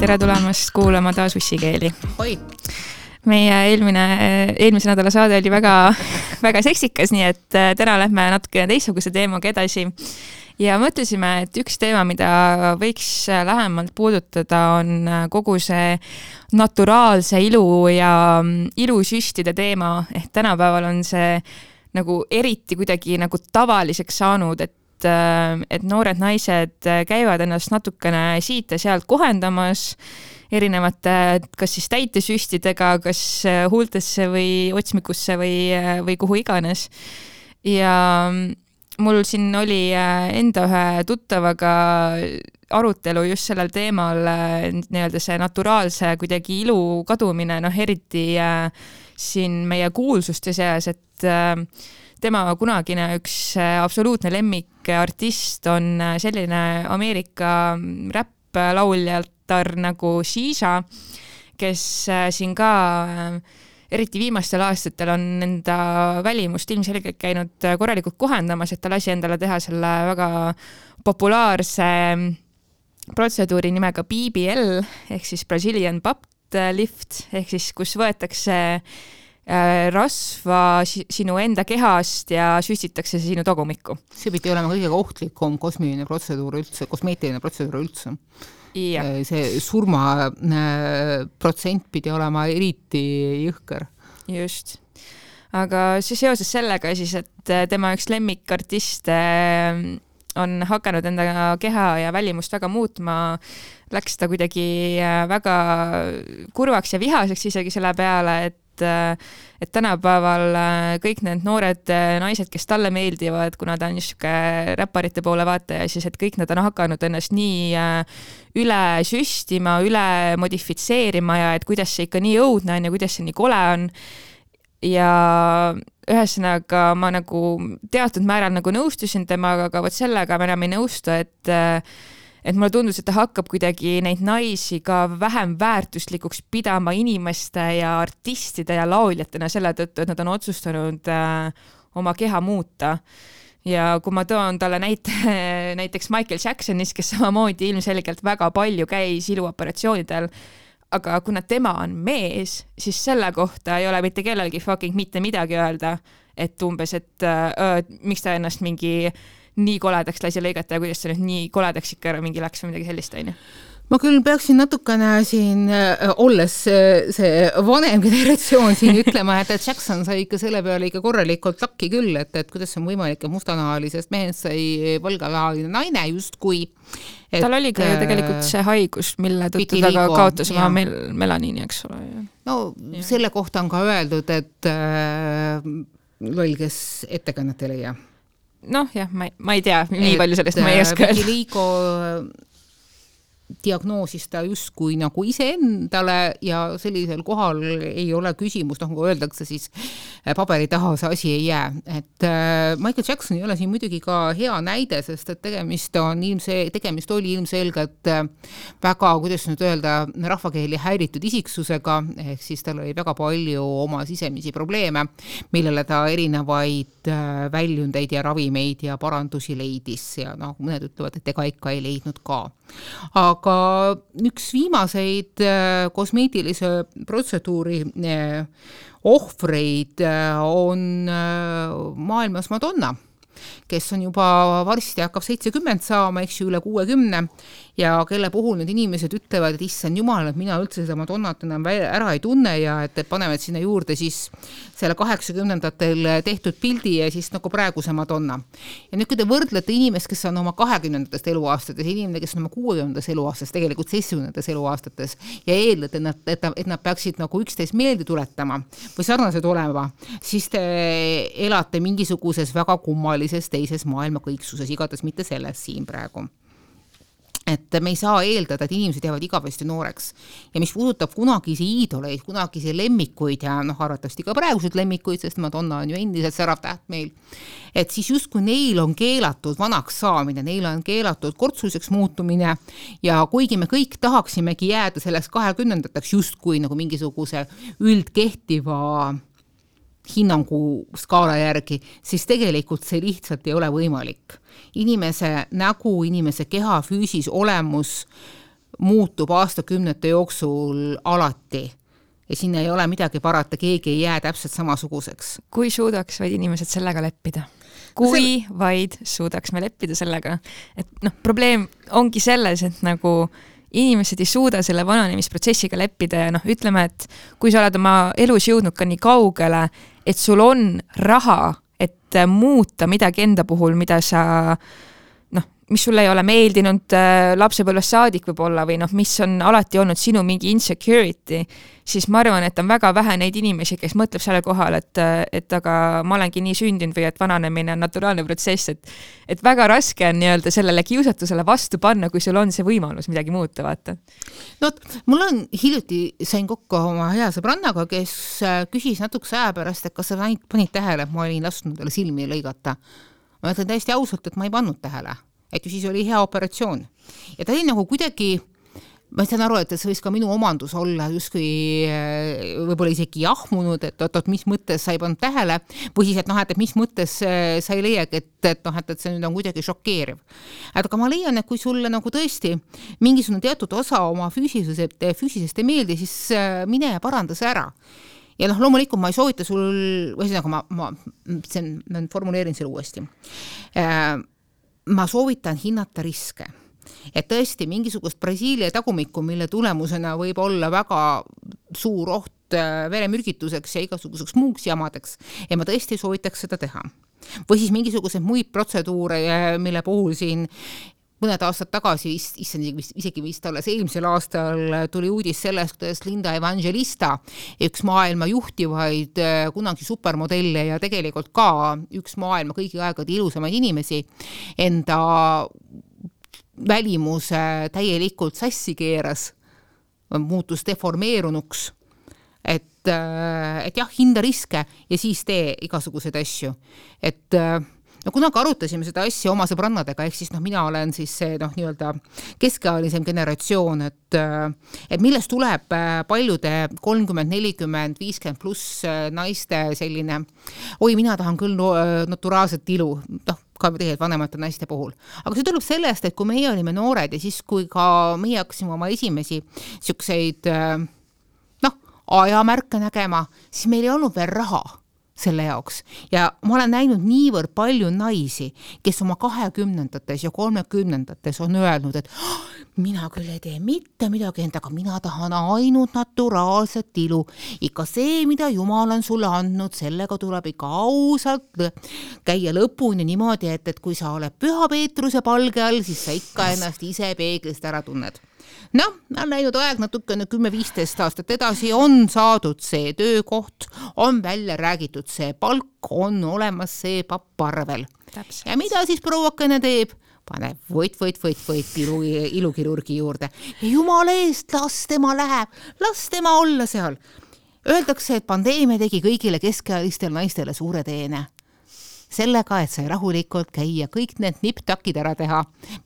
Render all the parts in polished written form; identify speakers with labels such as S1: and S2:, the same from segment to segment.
S1: tere tulemast kuulama taas ussikeeli.
S2: Oi.
S1: Meie eelmise nädala saade oli väga, väga seksikas, nii et täna lähme natuke teistsuguse teemaga edasi. Ja mõtlesime, et üks teema, mida võiks lähemalt puudutada, on kogu see naturaalse ilu ja ilusüstide teema. Ehk tänapäeval on see nagu eriti kuidagi nagu tavaliseks saanud, et noored naised käivad ennast natukene siit ja sealt kohendamas erinevate kas siis täitesüstidega, kas huultesse või otsmikusse või kuhu iganes. Ja mul siin oli enda ühe tuttavaga arutelu just sellel teemal, nii-öelda see naturaalse kuidagi ilu kadumine, eriti siin meie kuulsuste seas, et tema kunagine üks absoluutne lemmikartist on selline Ameerika räpplauljattar nagu Shisha, kes siin ka eriti viimastel aastatel on enda välimust ilmselgelt käinud korralikult kohendamas, et ta lasi endale teha selle väga populaarse protseduuri nimega BBL ehk siis Brazilian Butt Lift ehk siis kus võetakse rasva sinu enda kehast ja süstitakse sinu tagumikku.
S2: See pidi olema kõige ohtlikum kosmeetiline protseduur üldse. Ja. See surma protsent pidi olema eriti jõhker.
S1: Just. Aga see seoses sellega siis, et tema üks lemmikartiste on hakanud enda keha ja välimust väga muutma, läks ta kuidagi väga kurvaks ja vihaseks isegi selle peale, et tänapäeval kõik need noored naised, kes talle meeldivad, kuna ta on niisugune räpparite poole vaataja, siis et kõik nad on hakanud ennast nii üle süstima, üle modifitseerima ja et kuidas see ikka nii õudne on ja kuidas see nii kole on. Ja ühesõnaga ma nagu teatud määral nagu nõustusin temaga, aga võt sellega ma enam ei nõustu, et mulle tundus, et ta hakkab kuidagi neid naisi ka vähem väärtuslikuks pidama inimeste ja artistide ja lauljatena selle tõttu, et nad on otsustanud oma keha muuta. Ja kui ma toon talle näiteks Michael Jacksonis, kes samamoodi ilmselgelt väga palju käis iluoperatsioonidel, aga kuna tema on mees, siis selle kohta ei ole mitte kellelgi fucking mitte midagi öelda, et umbes, et miks ta ennast mingi nii koledaks lasi lõigata ja kuidas ta nüüd nii koledaks ikka mingi läks või midagi sellist, on ju?
S2: Ma küll peaksin natukene siin, olles see vanem generatsioon siin ütlema, et Jackson sai ikka selle peale ikka korralikult lakki küll, et kuidas on võimalik, et mustanahalisest mehest sai valganahaline naine justkui.
S1: Tal oli ka ju tegelikult see haigus, mille tõttu ta ka kaotas oma melaniini, eks ole.
S2: No selle kohta on ka öeldud, et loll, kes ettekannet ei leia.
S1: Noh jah, ma ei tea, nii palju sellest ma ei oska.
S2: Vitiligo diagnoosis ta justkui nagu iseendale ja sellisel kohal ei ole küsimus, nagu öeldakse, siis paberi taha see asi ei jää. Et Michael Jackson ei ole siin muidugi ka hea näide, sest et tegemist oli ilmselgelt väga, kuidas nüüd öelda, rahvakeeli häiritud isiksusega, ehk siis tal oli väga palju oma sisemisi probleeme, millele ta erinevaid väljundeid ja ravimeid ja parandusi leidis ja mõned ütlevad, et ega ikka ei leidnud ka. Aga üks viimaseid kosmeetilise protseduuri ohvreid on maailmas Madonna, kes on juba varsti hakkab 70 saama, eks ju, üle 60 ja kelle puhul need inimesed ütlevad, et issand jumal, et mina üldse seda Madonnat enam ära ei tunne ja et panevad sinna juurde siis selle 80-ndatel tehtud pildi ja siis nagu praeguse Madonna. Ja nüüd, kui te võrdlete inimest, kes on oma 20-ndatest eluaastates, inimene, kes on oma 60-ndas eluaastates, tegelikult 70-ndas eluaastates ja eeldad, et nad peaksid nagu üksteist meelde tuletama või sarnased olema, siis te elate mingisuguses väga kummalises teises maailma kõiksuses, igatahes mitte selles siin praegu. Et me ei saa eeldada, et inimesed jäävad igavesti nooreks. Ja mis puudutab kunagisi iidoleid, kunagisi lemmikuid ja arvatavasti ka praegused lemmikuid, sest Madonna on ju endiselt särav täht meil, et siis justkui neil on keelatud vanaks saamine, neil on keelatud kortsuliseks muutumine ja kuigi me kõik tahaksimegi jääda selleks 20-ndateks justkui nagu mingisuguse üldkehtiva hinnangu skaala järgi, siis tegelikult see lihtsalt ei ole võimalik. Inimese nägu, inimese keha, füüsis, olemus muutub aastakümnete jooksul alati ja siin ei ole midagi parata, keegi ei jää täpselt samasuguseks.
S1: Kui suudaks vaid inimesed sellega leppida? Kui vaid suudaks me leppida sellega, et probleem ongi selles, et nagu inimesed ei suuda selle vananemisprotsessiga leppida ja ütleme, et kui sa oled oma elus jõudnud ka nii kaugele, et sul on raha, et muuta midagi enda puhul, mida sa mis sulle ei ole meeldinud lapsepõlvest saadik võib-olla või mis on alati olnud sinu mingi insecurity, siis ma arvan, et on väga vähe neid inimesi, kes mõtleb selle kohal, et aga ma olengi nii sündinud või et vananemine on naturaalne protsess, et väga raske on nii-öelda sellele kiusatusele vastu panna, kui sul on see võimalus midagi muuta, vaata.
S2: Mul on hiljuti sain kokku oma hea sõbrannaga, kes küsis natukese aja pärast, et kas sa panid tähele, et ma olin lasknud talle silmi lõigata. Ma ütlen täiesti ausalt, et ma ei pannud tähele. Et ju siis oli hea operatsioon. Ja ta oli nagu kuidagi, ma saan aru, et see võis ka minu omandus olla justkui võib-olla isegi jahmunud, et mis mõttes sa ei pannud tähele, või siis, et mis mõttes sa ei leiagi, et see nüüd on kuidagi šokeeriv. Aga ma leian, et kui sulle nagu tõesti mingisugune teatud osa oma füüsisest ei meeldi, siis mine ja paranda see ära. Ja loomulikult ma ei soovita sul, ma formuleerin selle uuesti. Ma soovitan hinnata riske. Et tõesti mingisugust Brasiilia tagumikku, mille tulemusena võib olla väga suur oht veremürgituseks ja igasuguseks muuks jamadeks, ja ma tõesti soovitaks seda teha. Või siis mingisugused muid protseduure, mille puhul siin mõned aastad tagasi, isegi vist alles eelmisel aastal tuli uudis sellest, kuidas Linda Evangelista, üks maailma juhtivaid kunagi supermodelle ja tegelikult ka üks maailma kõigi aegade ilusamaid inimesi, enda välimuse täielikult sassi keeras, muutus deformeerunuks, et jah, hinda riske ja siis tee igasuguseid asju. Et kunagi arutasime seda asja oma sõbrannadega, ehk siis mina olen siis see nii-öelda keskealisem generatsioon, et millest tuleb paljude 30, 40, 50 pluss naiste selline, mina tahan küll naturaalset ilu, ka tegelikult vanemate naiste puhul. Aga see tuleb sellest, et kui meie olime noored ja siis kui ka meie hakkasime oma esimesi siukseid ajamärke nägema, siis meil ei olnud veel raha selle jaoks. Ja ma olen näinud niivõrd palju naisi, kes oma 20-ndates ja 30-ndates on öelnud, et mina küll ei tee mitte midagi endaga, mina tahan ainult naturaalset ilu. Ikka see, mida Jumal on sulle andnud, sellega tuleb ikka ausalt käia lõpuni niimoodi, et kui sa oled Püha Peetruse palge all, siis sa ikka ennast ise peeglist ära tunned. On läinud aeg natukene 10-15 aastat edasi, on saadud see töökoht, on välja räägitud see palk, on olemas see papparvel. Täpselt. Ja mida siis prouakene teeb? Pane võit ilukirurgi juurde. Ja jumala eest, las tema läheb, las tema olla seal. Öeldakse, et pandeemia tegi kõigile keskealistele naistele suure teene. Sellega, et sai rahulikult käia kõik need niptakid ära teha,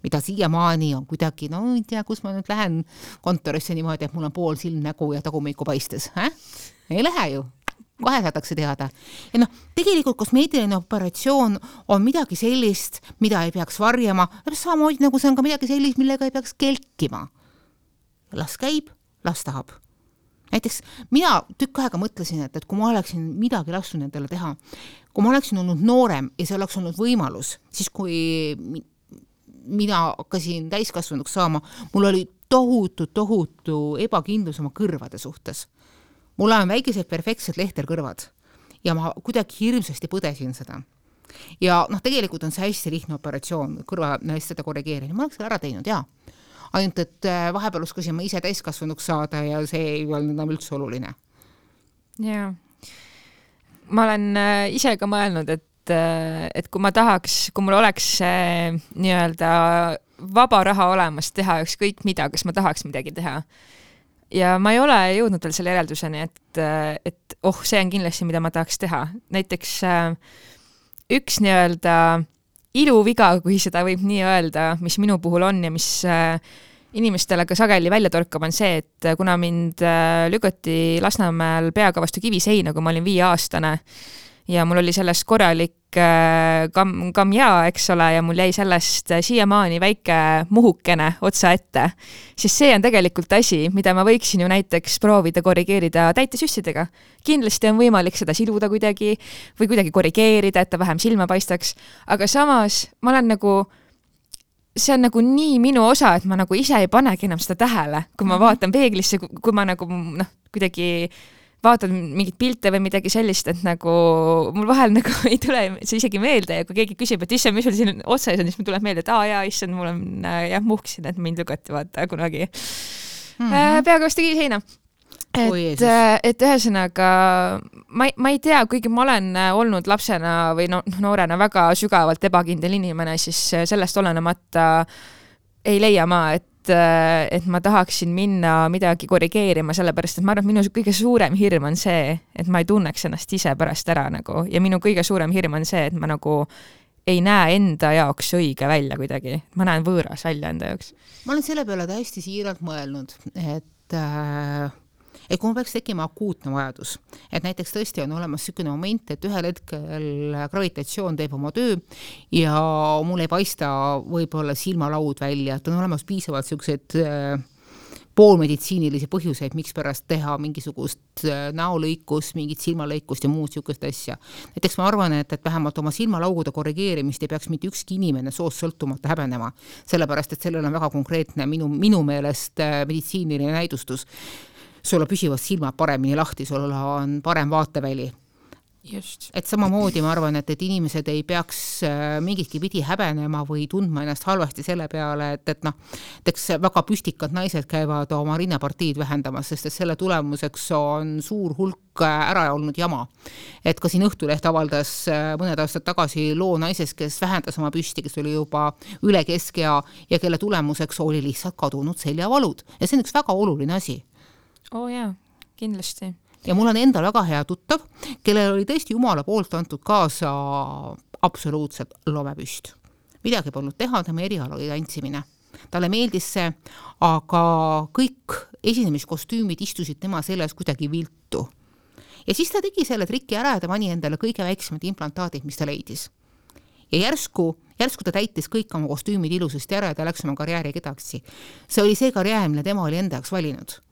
S2: mida siiamaani on kuidagi, ei tea, kus ma nüüd lähen kontorisse niimoodi, et mul on pool silmnägu ja tagumiku paistes. Ei lähe ju. Kohe saadakse teada. Ja tegelikult kosmeetiline operatsioon on midagi sellist, mida ei peaks varjama, samamoodi nagu see on ka midagi sellist, millega ei peaks kelkima. Las käib, las tahab. Näiteks mina tükk aega mõtlesin, et kui ma oleksin midagi lasknud endale teha, kui ma oleksin olnud noorem ja see oleks olnud võimalus, siis kui mina hakkasin täiskasvanuks saama, mul oli tohutu ebakindlus oma kõrvade suhtes. Mul on väikesed perfektsed lehterkõrvad ja ma kuidagi hirmsasti põdesin seda. Ja tegelikult on see hästi lihtne operatsioon, kõrvanäistade korrigeerimine. Ma oleks ära teinud, jaa. Ainult, et vahepeal oskasin ma ise täiskasvanuks saada ja see ei olnud enam üldse oluline.
S1: Jaa. Ma olen ise ka mõelnud, et kui ma tahaks, kui mul oleks nii-öelda vaba raha olemas teha ükskõik mida, kas ma tahaks midagi teha. Ja ma ei ole jõudnud veel selle järelduseni, et see on kindlasti, mida ma tahaks teha. Näiteks üks nii-öelda iluviga, kui seda võib nii öelda, mis minu puhul on ja mis inimestele ka sageli välja torkab, on see, et kuna mind lükati Lasnamäel peaga vastu kiviseina, kui ma olin 5-aastane, ja mul oli sellest korralik kamja, eks ole, ja mul jäi sellest siiamaani väike muhukene otsa ette, siis see on tegelikult asi, mida ma võiksin ju näiteks proovida korrigeerida täitesüssidega. Kindlasti on võimalik seda siluda kuidagi või kuidagi korrigeerida, et ta vähem silma paistaks, aga samas ma olen nagu, see on nagu nii minu osa, et ma nagu ise ei panegi enam seda tähele, kui ma vaatan peeglisse, kui ma nagu kuidagi vaatan mingit pilte või midagi sellist, et nagu mul vahel nagu ei tule see isegi meelde ja kui keegi küsib, et issand, mis sul siin otsas on, siis mul tuleb meelde, et jaa, issand, mul on muhksin, et mind lükati vaata kunagi peaga vastu kiviseina. Et ühesõnaga ma ei tea, kuigi ma olen olnud lapsena või noorena väga sügavalt ebakindel inimene, siis sellest olenemata ei leia ma, et ma tahaksin minna midagi korrigeerima, sellepärast, et ma arvan, et minu kõige suurem hirm on see, et ma ei tunneks ennast ise pärast ära nagu, ja minu kõige suurem hirm on see, et ma nagu ei näe enda jaoks õige välja kuidagi. Ma näen võõras välja enda jaoks.
S2: Ma olen selle peale täiesti siiralt mõelnud, et kui ma peaks tekkima akuutne vajadus, et näiteks tõesti on olemas selline moment, et ühel hetkel gravitatsioon teeb oma töö ja mul ei paista võib-olla silmalaud välja, et on olemas piisavalt sellised poolmeditsiinilisi põhjuseid, miks pärast teha mingisugust näolõikust, mingit silmalõikust ja muud sellised asja. Näiteks ma arvan, et vähemalt oma silmalaugude korrigeerimist ei peaks mitte ükski inimene soost sõltumata häbenema, sellepärast, et sellel on väga konkreetne minu meelest meditsiiniline näidustus. Sul on püsivad silmad paremini lahti, sul on parem vaateväli.
S1: Just.
S2: Et samamoodi ma arvan, et inimesed ei peaks mingitki pidi häbenema või tundma ennast halvasti selle peale, et väga püstikad naised käivad oma rinnapartiid vähendamas, sest et selle tulemuseks on suur hulk ära olnud jama. Et ka siin Õhtuleht avaldas mõned aastad tagasi loo naisest, kes vähendas oma püsti, kes oli juba üle keskea ja kelle tulemuseks oli lihtsalt kadunud seljavalud. Ja see on üks väga oluline asi.
S1: Jaa, kindlasti.
S2: Ja mul on endal väga hea tuttav, kellel oli tõesti Jumala poolt antud kaasa absoluutselt lomepüst. Midagi polnud teha, tema eriala oli tantsimine. Talle meeldis see, aga kõik esinemiskostüümid istusid tema selles kuidagi viltu. Ja siis ta tegi selle triki ära ja ta pani endale kõige väiksemad implantaadid, mis ta leidis. Ja järsku ta täitis kõik oma kostüümid ilusasti ära ja ta läks oma karjääri edasi. See oli see karjäär, mille tema oli enda jaoks valinud.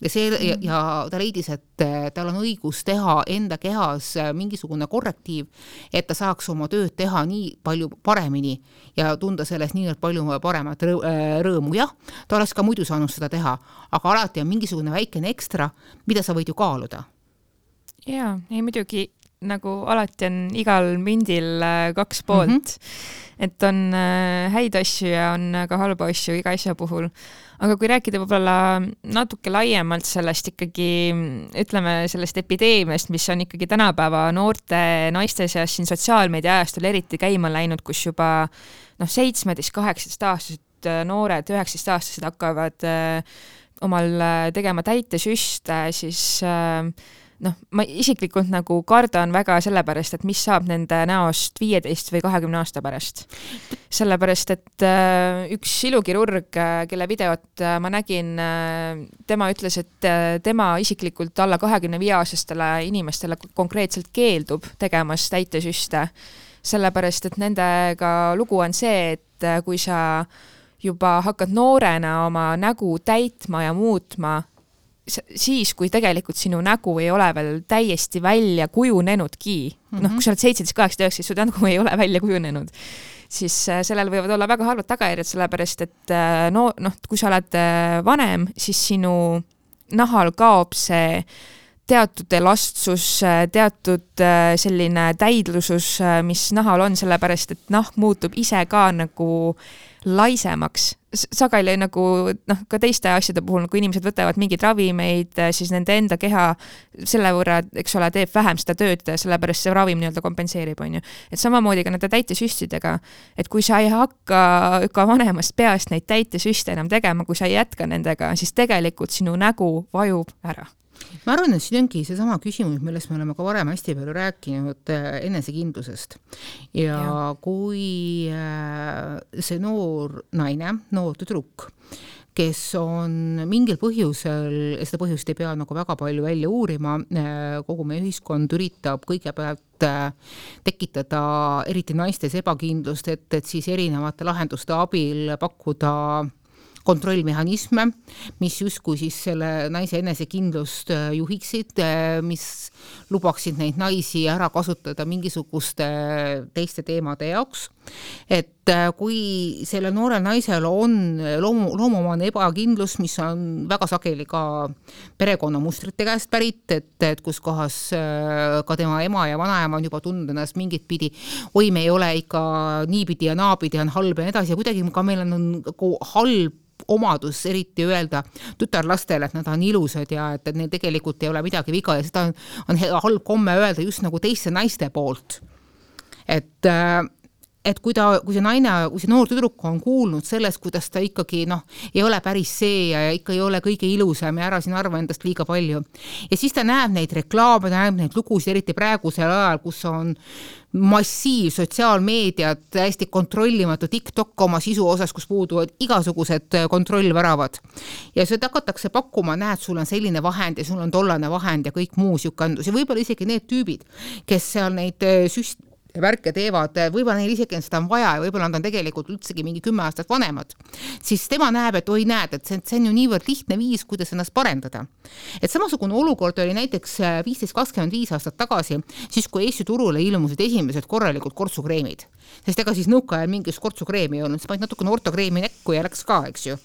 S2: Ja ta leidis, et tal on õigus teha enda kehas mingisugune korrektiiv, et ta saaks oma tööd teha nii palju paremini ja tunda sellest nii palju paremat rõõmu. Jah, ta oleks ka muidu saanud seda teha, aga alati on mingisugune väikene ekstra, mida sa võid ju kaaluda.
S1: Jaa, ei muidugi nagu alati on igal mündil kaks poolt, et on häid asju ja on ka halba asju iga asja puhul. Aga kui rääkida võib-olla natuke laiemalt sellest ikkagi, ütleme sellest epideemiast, mis on ikkagi tänapäeva noorte naiste seas siin sotsiaalmeedia ajastul eriti käima läinud, kus juba 17-18 aastased noored, 19 aastased hakkavad omal tegema täitesüste, siis ma isiklikult nagu kardan väga sellepärast, et mis saab nende näost 15 või 20 aasta pärast. Sellepärast, et üks ilukirurg, kelle videot ma nägin, tema ütles, et tema isiklikult alla 25-aastastele inimestele konkreetselt keeldub tegemas täitesüste. Sellepärast, et nendega lugu on see, et kui sa juba hakkad noorena oma nägu täitma ja muutma, siis, kui tegelikult sinu nägu ei ole veel täiesti välja kujunenudki, kui sa oled 17, 18, su nägu ei ole välja kujunenud, siis sellel võivad olla väga halvad tagajärjed, sellepärast, et kui sa oled vanem, siis sinu nahal kaob see teatud elastsus, teatud selline täidlusus, mis nahal on, sellepärast, et nahk muutub ise ka nagu laisemaks. Sageli nagu ka teiste asjade puhul, kui inimesed võtavad mingid ravimeid, siis nende enda keha selle võrra, eks ole, teeb vähem seda tööd, sellepärast see ravim nii-öelda kompenseerib, on ju. Et samamoodi ka nende täitesüstidega, et kui sa ei hakka ka vanemast peast neid täitesüste enam tegema, kui sa ei jätka nendega, siis tegelikult sinu nägu vajub ära.
S2: Ma arvan, et siin ongi see sama küsimus, millest me oleme ka varem hästi palju rääkinud enesekindlusest. Ja kui see noor naine, noor tüdruk, kes on mingil põhjusel, seda põhjust ei pea nagu väga palju välja uurima, kogu meie ühiskond üritab kõigepealt tekitada eriti naistes ebakindlust, et siis erinevate lahenduste abil pakkuda kontrollmehhanisme, mis justkui siis selle naise enesekindlust juhiksid, mis lubaksid neid naisi ära kasutada mingisuguste teiste teemade jaoks. Et kui selle noorel naisel on loomumane ebakindlus, mis on väga sageli ka perekonnamustrite käest pärit, et kus kohas ka tema ema ja vanaema on juba tundnud ennast mingit pidi, oi, me ei ole ikka niipidi ja naapidi, on halb ja edasi ja kuidagi ka meil on halb omadus eriti öelda tütarlastele, et nad on ilusad ja et neil tegelikult ei ole midagi viga ja seda on halb komme öelda just nagu teiste naiste poolt. Et kui see noor tüdruk on kuulnud sellest, kuidas ta ikkagi ei ole päris see ja ikka ei ole kõige ilusam ja ära siin arva endast liiga palju. Ja siis ta näeb neid reklaame, ta näeb neid lugusid, eriti praegusel ajal, kus on massiiv sotsiaalmeediat, hästi kontrollimatu TikTok oma sisu osas, kus puuduvad igasugused kontrollväravad. Ja seda hakatakse pakkuma, näed, sul on selline vahend ja sul on tollane vahend ja kõik muu siukandus. Ja võib-olla isegi need tüübid, kes seal neid värke teevad, võib-olla neil isegi seda on vaja ja võib-olla nad on tegelikult üldsegi mingi 10 aastat vanemad, siis tema näeb, et oi näed, et see on ju niivõrd lihtne viis, kuidas ennast parendada. Et samasugune olukord oli näiteks 15-25 aastat tagasi, siis kui Eesti turule ilmusid esimesed korralikud kortsukreemid. Sest ega siis nõukaajal mingis kortsukreemi ei olnud, siis panid natukene ortokreemi nekku ja läks ka, eks ju.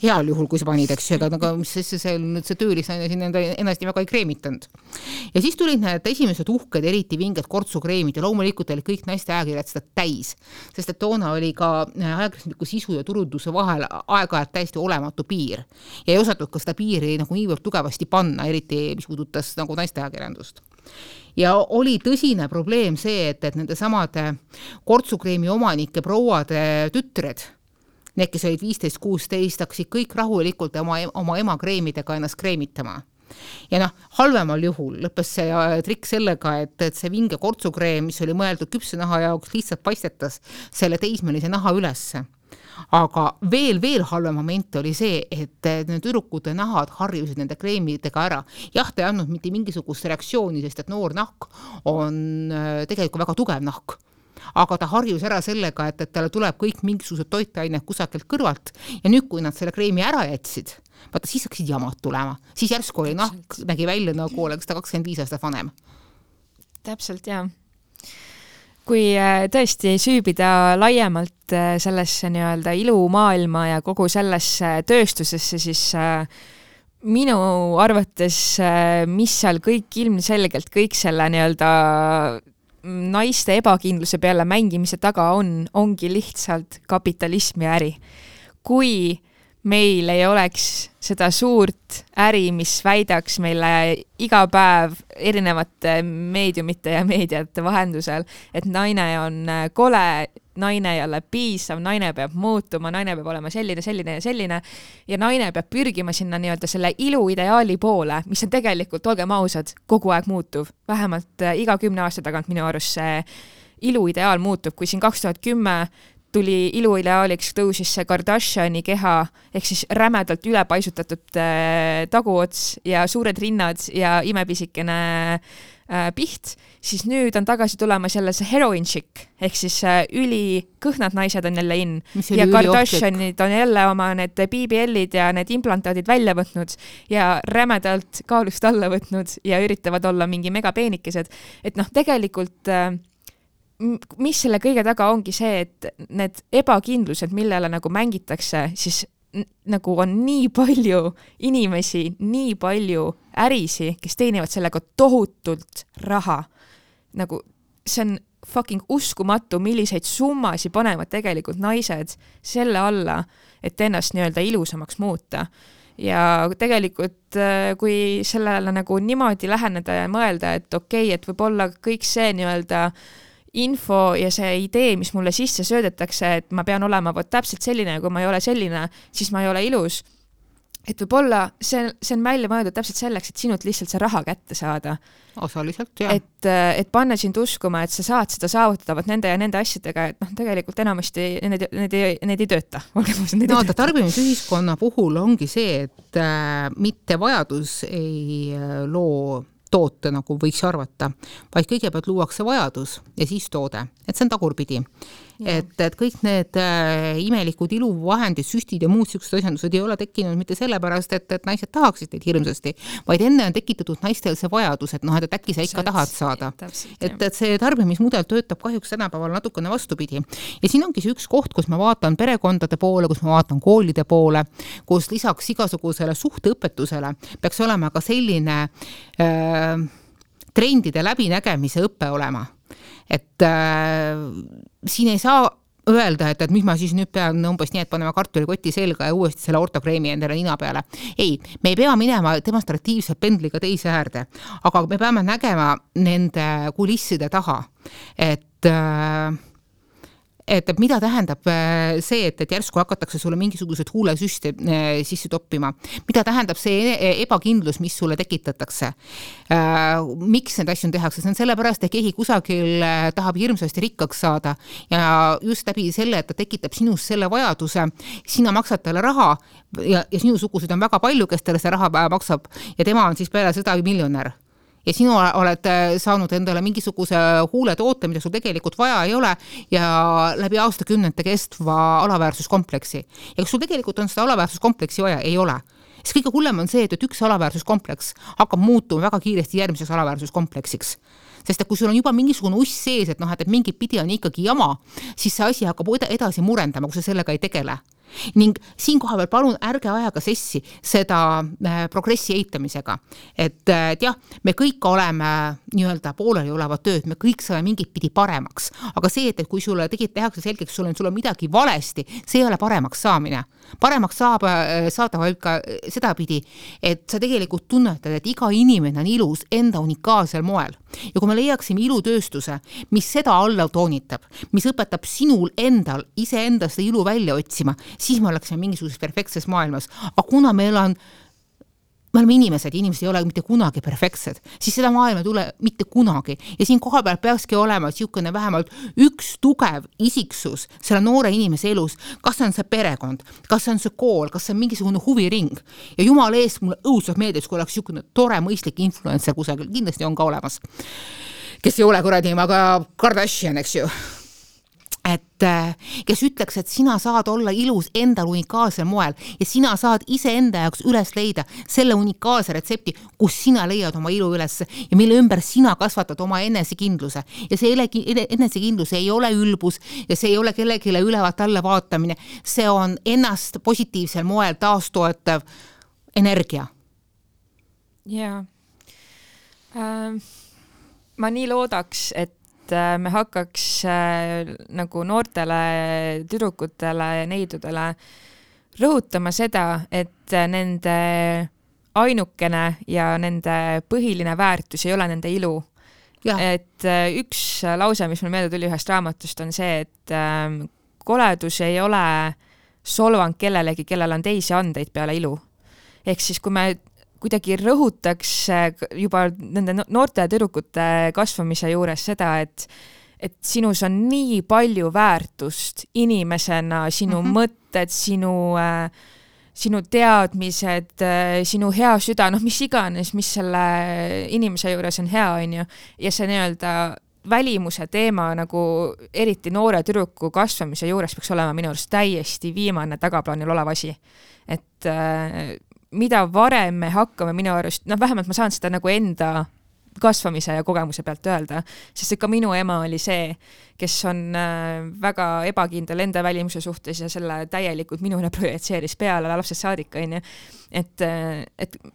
S2: Heal juhul, kui sa panid, eks ju, aga see töölisaine siin ennast väga ei kreemitanud. Ja siis tulid need esimesed uhked, eriti vinged kortsukreemid ja loomulikult oli kõik naiste ajakirjad seda täis, sest et toona oli ka ajakirjandusliku sisu ja turunduse vahel aeg-ajalt täiesti olematu piir. Ja ei osatud ka seda piiri nagu niivõrd tugevasti panna, eriti mis puudutas nagu naiste ajakirjandust. Ja oli tõsine probleem see, et nende samade kortsukreemi omanike prouade tütred, need, kes olid 15-16, hakkasid kõik rahulikult oma ema kreemidega ennast kreemitama. Ja halvemal juhul lõppes see trikk sellega, et see vinge kortsukreem, mis oli mõeldud küpse naha jaoks, lihtsalt paistetas selle teismelise naha ülesse. Aga veel halvem moment oli see, et need tüdrukute nahad harjusid nende kreemidega ära. Jah, ta ei andnud mitte mingisugust reaktsiooni, sest et noor nahk on tegelikult väga tugev nahk. Aga ta harjus ära sellega, et talle tuleb kõik mingisugused toitained kusagilt kõrvalt ja nüüd, kui nad selle kreemi ära jätsid, vaata, siis hakkasid jamad tulema. Siis järsku oli nahk, nägi välja nagu oleks ta 25 aastat vanem.
S1: Täpselt, jah. Kui tõesti süübida laiemalt sellesse nii-öelda ilumaailma ja kogu sellesse tööstusesse, siis minu arvates, mis seal kõik ilmselgelt kõik selle nii-öelda naiste ebakindluse peale mängimise taga ongi lihtsalt kapitalism ja äri. Kui meil ei oleks seda suurt äri, mis väidaks meile iga päev erinevate meediumite ja meediate vahendusel, et naine on kole, naine ei ole piisav, naine peab muutuma, naine peab olema selline ja naine peab pürgima sinna nii-öelda selle iluideaali poole, mis on tegelikult, olgem ausad, kogu aeg muutuv. Vähemalt iga 10 aasta tagant minu arust see iluideaal muutub, kui siin 2010 tuli iluideaaliks, tõusis see Kardashiani keha, ehk siis rämedalt ülepaisutatud taguots ja suured rinnad ja imepisikene piht, siis nüüd on tagasi tulemas jälle see heroin chick, ehk siis ülikõhnad naised on jälle in ja Kardashianid on jälle oma need BBL-id ja need implantaadid välja võtnud ja rämedalt kaalust alla võtnud ja üritavad olla mingi megapeenikesed, et tegelikult mis selle kõige taga ongi see, et need ebakindlused, millele nagu mängitakse, siis nagu on nii palju inimesi, nii palju ärisi, kes teenivad sellega tohutult raha. Nagu see on fucking uskumatu, milliseid summasi panevad tegelikult naised selle alla, et ennast nii-öelda ilusamaks muuta. Ja tegelikult, kui sellele nagu niimoodi läheneda ja mõelda, et okei, et võib-olla kõik see nii-öelda info ja see idee, mis mulle sisse söödetakse, et ma pean olema täpselt selline, kui ma ei ole selline, siis ma ei ole ilus. et võib-olla see on välja mõeldud täpselt selleks, et sinult lihtsalt see raha kätte saada.
S2: Osaliselt, jah.
S1: Et panna sind uskuma, et sa saad seda saavutada nende ja nende asjadega, et tegelikult enamasti need ei tööta.
S2: Tarbimisühiskonna puhul ongi see, et mitte vajadus ei loo toote, nagu võiks arvata, vaid kõigepealt luuakse vajadus ja siis toode. Et see on tagurpidi. Et kõik need imelikud iluvahendid, süstid ja muud sellised asjandused ei ole tekkinud mitte sellepärast, et naised tahaksid neid hirmsasti, vaid enne on tekitatud naistel see vajadus, et et äkki sa ikka tahad saada. Et see tarbimismudel töötab kahjuks tänapäeval natukene vastupidi. Ja siin ongi see üks koht, kus ma vaatan perekondade poole, kus ma vaatan koolide poole, kus lisaks igasugusele suhteõpetusele peaks olema ka selline trendide läbinägemise õppe olema. Et siin ei saa öelda, et mis ma siis nüüd pean umbes nii, et paneme kartulikoti selga ja uuesti selle ortokreemi endale nina peale. Ei, me ei pea minema demonstratiivselt pendliga teise äärde, aga me peame nägema nende kulisside taha, et mida tähendab see, et järsku hakatakse sulle mingisugused huulesüste sisse toppima. Mida tähendab see ebakindlus, mis sulle tekitatakse? Miks need asju tehakse? See on sellepärast, et keegi kusagil tahab hirmsasti rikkaks saada ja just läbi selle, et ta tekitab sinus selle vajaduse, sina maksad talle raha ja sinusugused on väga palju, kes talle see raha maksab ja tema on siis peale seda miljonär. Ja sinu oled saanud endale mingisuguse huuletoote, mida sul tegelikult vaja ei ole ja läbi aastakümnete kestva alaväärsuskompleksi. Ja kas sul tegelikult on seda alaväärsuskompleksi vaja? Ei ole. Siis kõige hullem on see, et üks alaväärsuskompleks hakkab muutuma väga kiiresti järgmiseks alaväärsuskompleksiks. Sest et kui sul on juba mingisugune uss sees, et mingit pidi on ikkagi jama, siis see asi hakkab edasi murendama, kui sa sellega ei tegele. Ning siin koha peal palun ärge ajaga sessi seda progressi eitamisega. Et jah, me kõik oleme nii-öelda pooleli olevad tööd, me kõik saame mingit pidi paremaks. Aga see, et kui sulle tehakse selgeks, sul on midagi valesti, see ei ole paremaks saamine. Paremaks saada vaid ka seda pidi, et sa tegelikult tunnetad, et iga inimene on ilus enda unikaalsel moel. Ja kui me leiaksime ilutööstuse, mis seda alla toonitab, mis õpetab sinul endal iseendast ilu välja otsima, siis me oleksime mingisuguses perfektses maailmas. Aga kuna me oleme inimesed ei ole mitte kunagi perfektsed, siis seda maailma ei tule mitte kunagi. Ja siin koha peal peakski olema siukene vähemalt üks tugev isiksus selle noore inimese elus. Kas on see perekond, kas on see kool, kas on mingisugune huviring. Ja jumal eest mulle õudselt meeldis, kui oleks siukene tore mõistlik influencer kusagil, kindlasti on ka olemas. Kes ei ole kuradi, aga Kardashian, eks ju. Et kes ütleks, et sina saad olla ilus endal unikaalsel moel ja sina saad ise enda jaoks üles leida selle unikaalse retsepti, kus sina leiad oma ilu üles ja mille ümber sina kasvatad oma enesekindluse. Ja see enesekindlus ei ole ülbus ja see ei ole kellegile ülevalt alla vaatamine. See on ennast positiivsel moel taastoetav energia.
S1: Jaa. Ma nii loodaks, et me hakkaks nagu noortele tüdrukutele ja neidudele rõhutama seda, et nende ainukene ja nende põhiline väärtus ei ole nende ilu. Ja. Et üks lause, mis mul meelde tuli ühest raamatust, on see, et koledus ei ole solvang kellelegi, kellel on teisi andeid peale ilu. Ehk siis, kui me kuidagi rõhutaks juba nende noorte tüdrukute kasvamise juures seda, et sinus on nii palju väärtust inimesena, sinu mõtted, sinu teadmised, sinu hea süda, mis iganes, mis selle inimese juures on hea, on ju. Ja see nii-öelda välimuse teema nagu eriti noore tüdruku kasvamise juures peaks olema minu arust täiesti viimane tagaplaanil olev asi. Et mida varem me hakkame minu arust, vähemalt ma saan seda nagu enda kasvamise ja kogemuse pealt öelda, sest ka minu ema oli see, kes on väga ebakindel enda välimuse suhtes ja selle täielikult minule projitseeris peale lapsest saadik, on ju. Et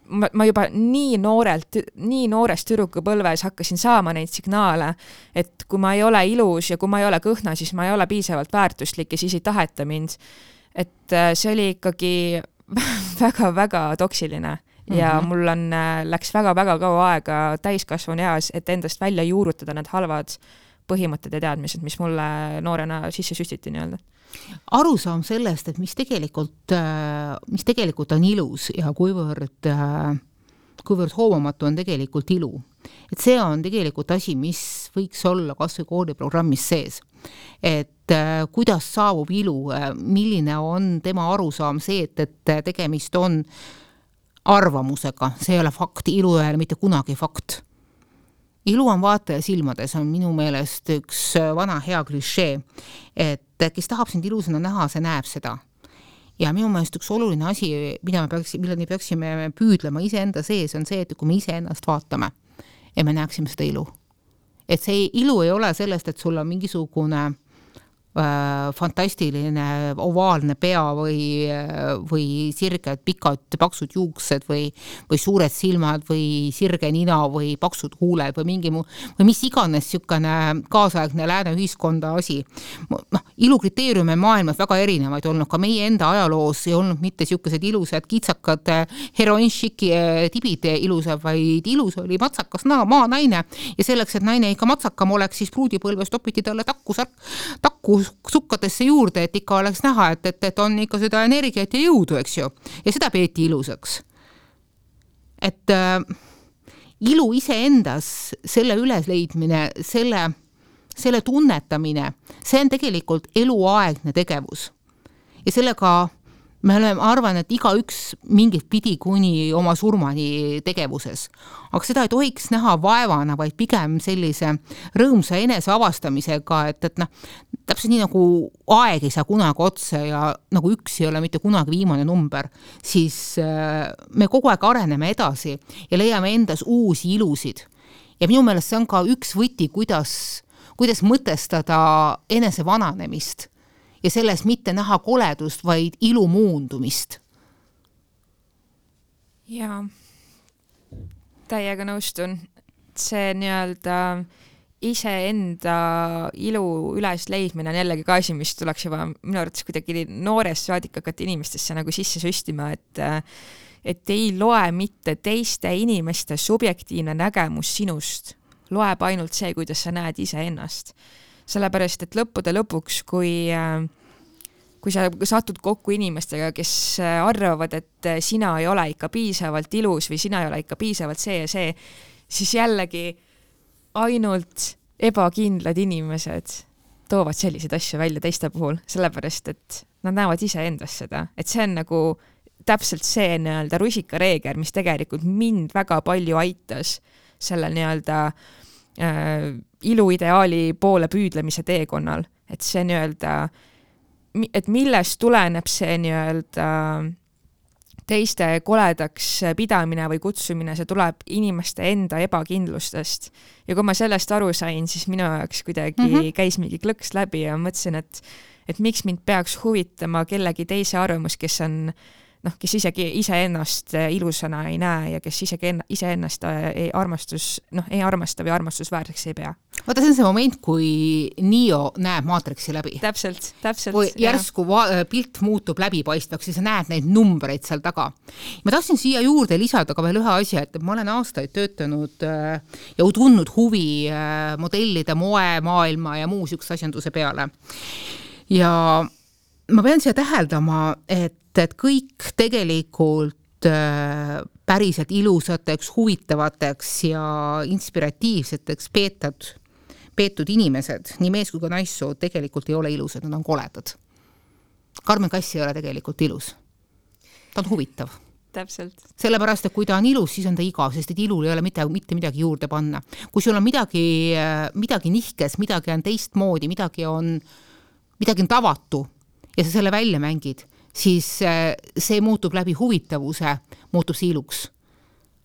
S1: ma juba nii noorest tüdrukupõlves hakkasin saama neid signaale, et kui ma ei ole ilus ja kui ma ei ole kõhna, siis ma ei ole piisavalt väärtuslik ja siis ei taheta mind. Et see oli ikkagi väga-väga toksiline ja mul läks väga-väga kaua aega täiskasvanu eas, et endast välja juurutada need halvad põhimõtted ja teadmised, mis mulle noorena sisse süstiti nii-öelda.
S2: Arusaam sellest, et mis tegelikult on ilus ja kuivõrd hoomamatu on tegelikult ilu. Et see on tegelikult asi, mis võiks olla kas või kooliprogrammis sees. Et kuidas saabub ilu, milline on tema arusaam see, et tegemist on arvamusega, see ei ole fakt, ilu ei ole mitte kunagi fakt. Ilu on vaataja silmades, on minu meelest üks vana hea klišee, et kes tahab sind ilusana näha, see näeb seda. Ja minu meelest üks oluline asi, milleni peaksime püüdlema iseenda sees, on see, et kui me iseennast vaatame ja me näeksime seda ilu. Et see ilu ei ole sellest, et sul on mingisugune fantastiline ovaalne pea või sirged, pikad, paksud juuksed või suured silmad või sirge nina või paksud huuled või või mis iganes sükane kaasaegne lääne ühiskonda asi. Ilukriteeriume maailmas väga erinevaid olnud, ka meie enda ajaloos ei olnud mitte sükesed ilusad kitsakad heroinšiki tibid ilusad, vaid ilus oli matsakas maa naine ja selleks, et naine ikka matsakam oleks, siis pruudipõlves topiti talle takku sukkadesse juurde, et ikka oleks näha, et on ikka seda energiat ja jõudu, eks ju. Ja seda peeti ilusaks. Et ilu iseendas, selle ülesleidmine, selle tunnetamine, see on tegelikult eluaegne tegevus. Ja sellega me arvan, et igaüks mingit pidi kuni oma surmani tegevuses. Aga seda ei tohiks näha vaevana, vaid pigem sellise rõõmsa enese avastamisega, et täpselt nii nagu aeg ei saa kunagi otsa ja nagu üks ei ole mitte kunagi viimane number, siis me kogu aeg areneme edasi ja leiame endas uusi ilusid. Ja minu meelest see on ka üks võti, kuidas mõtestada enese vananemist. Ja selles mitte näha koledust, vaid ilu muundumist.
S1: Jaa, täiega nõustun. See nii-öelda iseenda ilu üles leidmine on jällegi ka asi, mis tuleks juba minu arvates kuidagi noorest saadik hakata inimestesse nagu sisse süstima, et ei loe mitte teiste inimeste subjektiivne nägemus sinust. Loeb ainult see, kuidas sa näed iseennast. Sellepärast, et lõppude lõpuks, kui sa satud kokku inimestega, kes arvavad, et sina ei ole ikka piisavalt ilus või sina ei ole ikka piisavalt see ja see, siis jällegi ainult ebakindlad inimesed toovad selliseid asju välja teiste puhul, sellepärast, et nad näevad iseendas seda. Et see on nagu täpselt see nii-öelda rusikareeger, mis tegelikult mind väga palju aitas selle nii-öelda iluideaali poole püüdlemise teekonnal, et see nii-öelda, et millest tuleneb see nii-öelda teiste koledaks pidamine või kutsumine, see tuleb inimeste enda ebakindlustest. Ja kui ma sellest aru sain, siis minu jaoks kuidagi käis mingi klõks läbi ja mõtlesin, et miks mind peaks huvitama kellegi teise arvamus, kes on kes isegi iseennast ilusana ei näe ja kes isegi iseennast ei armasta või armastusväärseks ei pea.
S2: Vaata, see on see moment, kui Neo näeb Matrixi läbi.
S1: Täpselt.
S2: Kui järsku pilt muutub läbipaistvaks, siis sa näed neid numbreid seal taga. Ma tahtsin siia juurde lisada ka veel ühe asja, et ma olen aastaid töötanud ja tundnud huvi modellide moe, maailma ja muu sükse asjanduse peale. Ja ma pean siia täheldama, et kõik tegelikult päriselt ilusateks, huvitavateks ja inspiratiivseteks peetud inimesed, nii mees kui ka naissoo, tegelikult ei ole ilusad, nad on koledad. Carmen Kass ei ole tegelikult ilus. Ta on huvitav.
S1: Täpselt.
S2: Sellepärast, et kui ta on ilus, siis on ta igav, sest et ilul ei ole mitte midagi juurde panna. Kui sul on midagi nihkes, midagi on teistmoodi, midagi on tavatu ja sa selle välja mängid, siis see muutub läbi huvitavuse, muutub see iluks.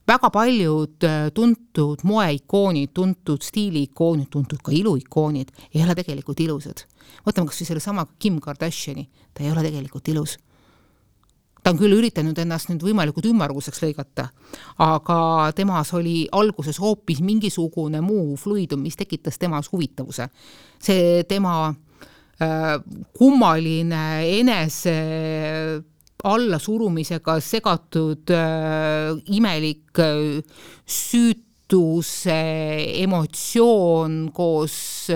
S2: Väga paljud tuntud moeikoonid, tuntud stiiliikoonid, tuntud ka iluikoonid ei ole tegelikult ilusad. Võtame kas või selle sama Kim Kardashini, ta ei ole tegelikult ilus. Ta on küll üritanud ennast nüüd võimalikult ümmarguseks lõigata, aga temas oli alguses hoopis mingisugune muu fluidum, mis tekitas temas huvitavuse. See tema kummaline enese allasurumisega segatud imelik armastus, emotsioon koos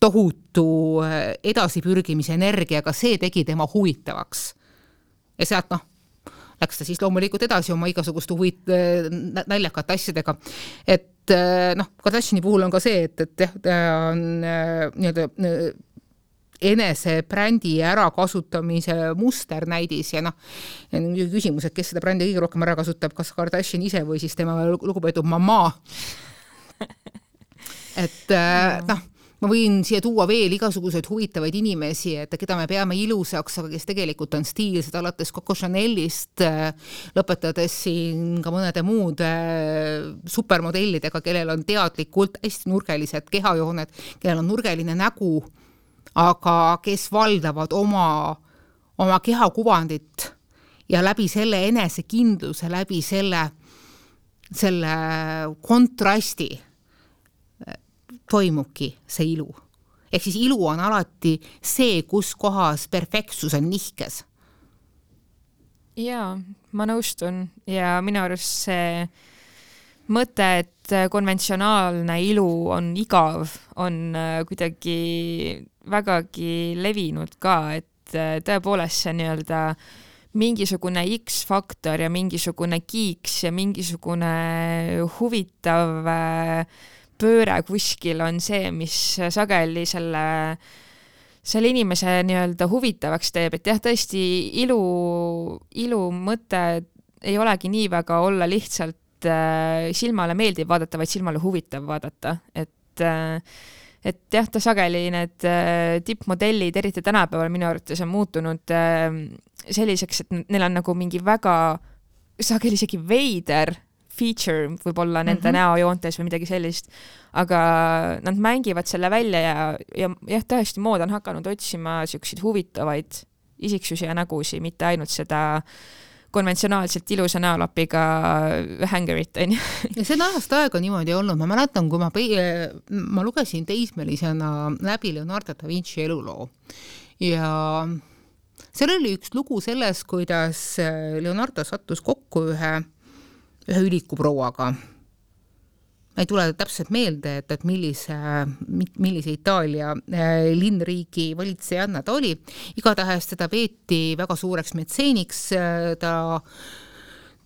S2: tohutu edasipürgimise energiaga, see tegi tema huvitavaks. Ja sealt läks ta siis loomulikult edasi oma igasuguste naljakate asjadega. Et Kardashini puhul on ka see, et ta on enese brändi ära kasutamise musternäidis ja küsimus, et kes seda brändi kõige rohkem ära kasutab, kas Kardashin ise või siis tema lugupeetud mamma. Et ma võin siia tuua veel igasuguseid huvitavaid inimesi, et keda me peame ilusaks, aga kes tegelikult on stiilsed, alates Coco Chanelist, lõpetades siin ka mõnede muud supermodellidega, kellel on teadlikult hästi nurgelised kehajooned, kellel on nurgeline nägu, aga kes valdavad oma kehakuvandit ja läbi selle enesekindluse, läbi selle kontrasti toimubki see ilu. Ehk siis ilu on alati see, kus kohas perfektsus on nihkes.
S1: Jaa, ma nõustun ja minu arust see mõte, et konventsionaalne ilu on igav, on kuidagi vägagi levinud ka, et tõepoolest see nii-öelda mingisugune X-faktor ja mingisugune kiiks ja mingisugune huvitav pööre kuskil on see, mis sageli selle inimese nii-öelda huvitavaks teeb, et jah, tõesti ilu mõte ei olegi nii väga olla lihtsalt silmale meeldiv vaadata, vaid silmale huvitav vaadata, et jah, ta sageli need tippmodellid, eriti tänapäeval minu arvates on muutunud selliseks, et neil on nagu mingi väga sageli isegi veider feature võib-olla nende näojoontes või midagi sellist, aga nad mängivad selle välja ja jah, tõesti mood on hakanud otsima selliseid huvitavaid isiksusi ja nägusi, mitte ainult seda konventsionaalselt ilusa näolapiga hängerit.
S2: Ja see on ajast aega niimoodi olnud. Ma mäletan, kui ma lugesin teismelisena läbi Leonardo da Vinci eluloo ja seal oli üks lugu selles, kuidas Leonardo sattus kokku ühe ülikuprouaga. Ma ei tule täpselt meelde, et millise Itaalia linnriigi valitsejanna ta oli. Igatahes teda peeti väga suureks metseeniks, ta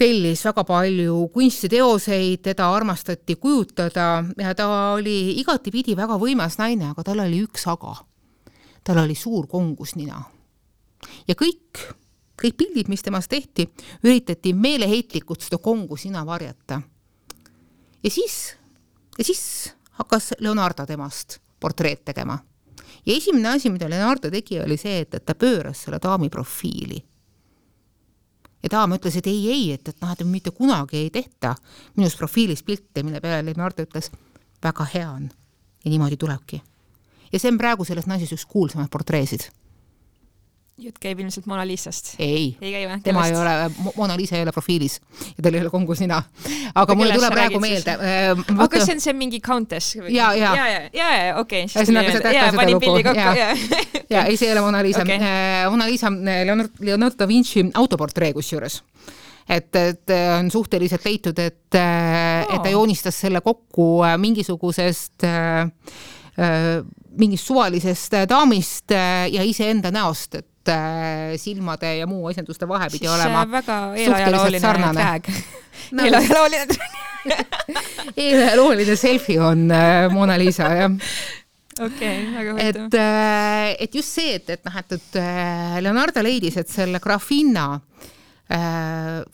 S2: tellis väga palju kunstiteoseid, teda armastati kujutada ja ta oli igatipidi väga võimas naine, aga tal oli üks aga. Tal oli suur kongusnina. Ja kõik pildid, mis temast tehti, üritati meeleheitlikult seda kongusnina varjata. Ja siis hakkas Leonardo temast portreet tegema. Ja esimene asi, mida Leonardo tegi, oli see, et ta pööras selle daami profiili. Ja daam ütles, et ei, et mitte kunagi ei tehta minust profiilis pilte, mille peale Leonardo ütles, väga hea on. Ja niimoodi tulebki. Ja see on praegu selles naises üks kuulsamad portreesid.
S1: Jutt käib ilmselt Mona Lisast.
S2: Ei tema ei ole, Mona Lisa ei ole profiilis ja tal ei ole kongusnina. Aga mulle tuleb praegu meelde.
S1: Aga kas see on mingi countess?
S2: Ja,
S1: okei.
S2: Panin pildi kokku. Ja, ei, see ei ole Mona Lisa. Mona Lisa Leonardo da Vinci autoportree kusjuures. Et on suhteliselt leitud, et ta joonistas selle kokku mingisugusest mingist suvalisest daamist ja iseenda näost, et silmade ja muu asenduste vahe pidi olema suhteliselt sarnane. Eelajaloolline selfie on Mona Lisa, jah.
S1: Okei, väga huvitav.
S2: Et just see, et Leonardo leidis, et selle grafinna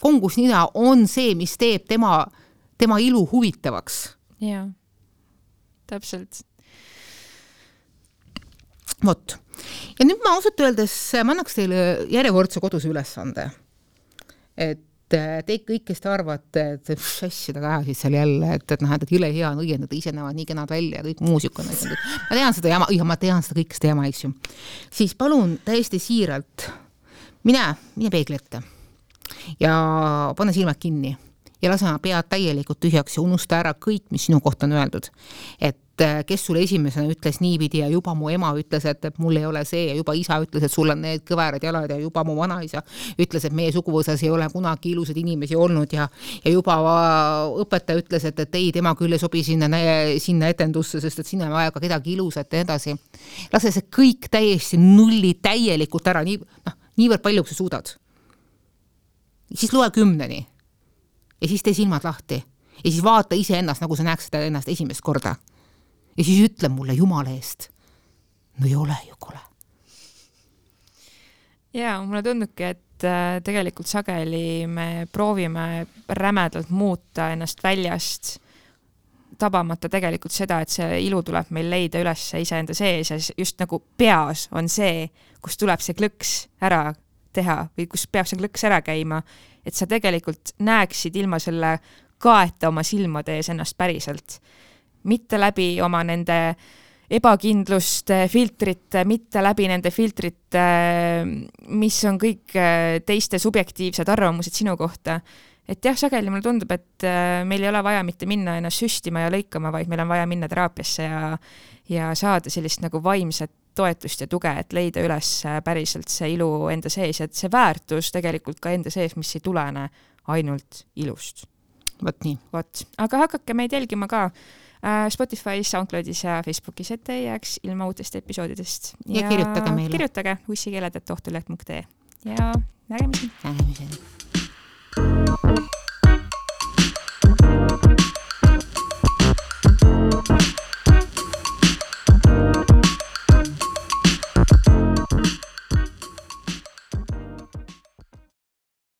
S2: kongusnina on see, mis teeb tema ilu huvitavaks.
S1: Jaa, täpselt.
S2: Vot. Ja nüüd ma ausalt öeldes ma annaks teile järjekordse koduse ülesande. Et te kõik, kes te arvate, et seda käesid seal jälle, et jõle hea on õiendada, ise näevad nii kenad välja ja kõik muusik on. Ma tean seda kõikest jama, eks ju. Siis palun täiesti siiralt mine peegli ette ja pane silmad kinni ja lase oma pead täielikult tühjaks ja unusta ära kõik, mis sinu kohta on öeldud. Et kes sulle esimesena ütles niipidi ja juba mu ema ütles, et mul ei ole see ja juba isa ütles, et sul on need kõverad jalad ja juba mu vanaisa ütles, et meie suguvõsas ei ole kunagi ilusad inimesi olnud ja juba õpetaja ütles, et ei, tema küll ei sobi sinna etendusse, sest et sinna on vaja ka kedagi ilusat ja edasi. Lase see kõik täiesti nulli täielikult ära, niivõrd palju, kui sa suudad. Siis loe 10 ja siis tee silmad lahti ja siis vaata ise ennast, nagu sa näeks seda ennast esimest korda. Ja siis ütle mulle Jumala eest. No ei ole ju kole.
S1: Ja, mulle tundubki, et tegelikult sageli me proovime rämedalt muuta ennast väljast, tabamata tegelikult seda, et see ilu tuleb meil leida üles iseenda sees ja just nagu peas on see, kus tuleb see klõks ära teha või kus peab see klõks ära käima, et sa tegelikult näeksid ilma selle kaeta oma silmade ees ennast päriselt. Mitte läbi oma nende ebakindluste filtrite, mitte läbi nende filtrite, mis on kõik teiste subjektiivsed arvamused sinu kohta. Et jah, sageli mulle tundub, et meil ei ole vaja mitte minna ennast süstima ja lõikama, vaid meil on vaja minna teraapiasse ja saada sellist nagu vaimset toetust ja tuge, et leida üles päriselt see ilu enda sees, et see väärtus tegelikult ka enda sees, mis ei tulene ainult ilust.
S2: Vot nii.
S1: Aga hakake meid jälgima ka Spotify's, SoundCloudis ja Facebookis, et ei jääks ilma uutest episoodidest.
S2: Ja kirjutage meile.
S1: Kirjutage ussikeeled@ohtuleht.ee ja nägemiseni.